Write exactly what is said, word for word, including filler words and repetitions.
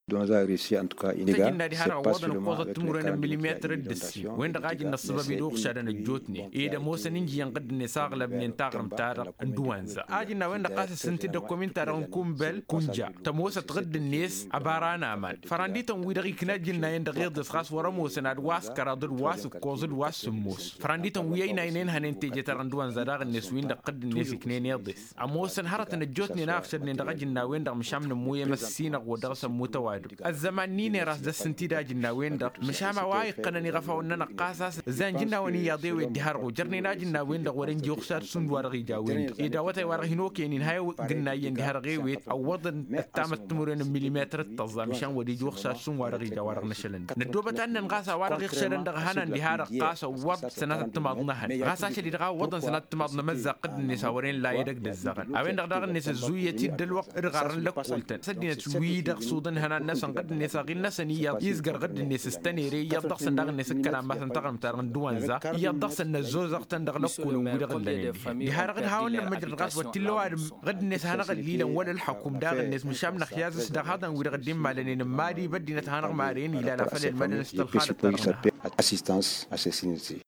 Ăsăjjǝnna diha-dăɣ ăwwăḍăn ǝkkoẓăt timǝrwen n-milimetăr d-ǝssin. Wen-dăɣ a jǝnna ăssăbab-i d-uɣšadăn ăjjootnen ed ămoosăn injǝyăn ɣǝdd-net a ăɣlăbnen taɣrǝmt-ta-dăɣ n-dăwanza a jǝnna a-wen-dăɣ ɣas ǝssǝnti d-ăkkomin-ta-dăɣ n-kunbel kunja tămoosăt ɣǝdd-net. Ăbara n-aman fărandităn-wi-dăɣ ikna ijǝnnayen dăɣ-iḍes ɣas wăr-ămoosăn ad-wa s-kăraḍ d-wa s-ǝkkoẓ d-wa s-sǝmmos. Fărandităn-wi ăynaynen hănen teje-ta-dăɣ n-dăwanza daɣ-net-win-dăɣ ɣǝdd-net iknen iḍes. Ămoosăn hărătăn ăjjootnen a ăɣšădnen dăɣ-ajǝnnawen-dăɣ măšan nǝmmuyăm ăssinăɣ wa dăɣ-s ămmut ăwadǝm. Ăzzăman n-iner a-s dăr-s ǝnta-dd ajǝnnawen-dăɣ măšan a-wa iqqănăn iɣăfawăn-nănăɣ ɣas a-s ǝzza ănjǝnnawen iyyăḍ i-ewet diha-dăɣ ojărnen ajǝnnawen-dăɣ wăren ji uɣšad šund wa dăɣ-ija a-wen-dăɣ ed awătay wa dăɣ-hin-okăyăn inha i-gǝnna iyyăn diha-dăɣ ewet ăwwăḍăn ăttamăt timǝrwen n-milimetăr d-tăẓẓa măšan wăr-ija uɣšad šund wa dăɣ-ija wa dăɣ-năšălăn-dăɣ năddoobăt ad-nănɣas a-wa dăɣ-iɣšădăn dăɣ-ehănan diha-dăɣ ɣas ăwwăḍ sănatăt timaḍ n-ehăn ɣas ašăl-i-dăɣ a ǝwwăḍăn sănatăt timaḍ n-emăzzaɣ ɣǝdd-net a wăren la edăgg d-ăzzăɣăn. A-wen-dăɣ daɣ-net ăzzuyyăt-dd ălwăqq d-iɣarrăn lăkkoltăn ăddinăt wi-dăɣ suḍăn ihănan-năsăn ɣǝdd-net aɣil-năsăn iyyăḍ izgăr ɣǝdd-net s-tănere iyyăḍ dăɣ-săn daɣ-net ǝkkăna masăn taɣrǝmt-ta-dăɣ n-dăwanza iyyăḍ dăɣ-săn năzzozăɣ-tăn dăɣ-lăkkolăn wi-dăɣ ǝllănen dihen diha-dăɣ d-hawăn-nămmăjrăd ɣas wăr t-illa ăwadǝm ɣǝdd-net hanăɣ-ăllilăn wăla ălḥăkum daɣ-net măšan năxyaz s-dăɣ haḍăn wi-dăɣ dd-immalănen n-mad-i băddinăt hanăɣ-maren ilan a făl ălmădăn s-tălxalăt-ta-dăɣ.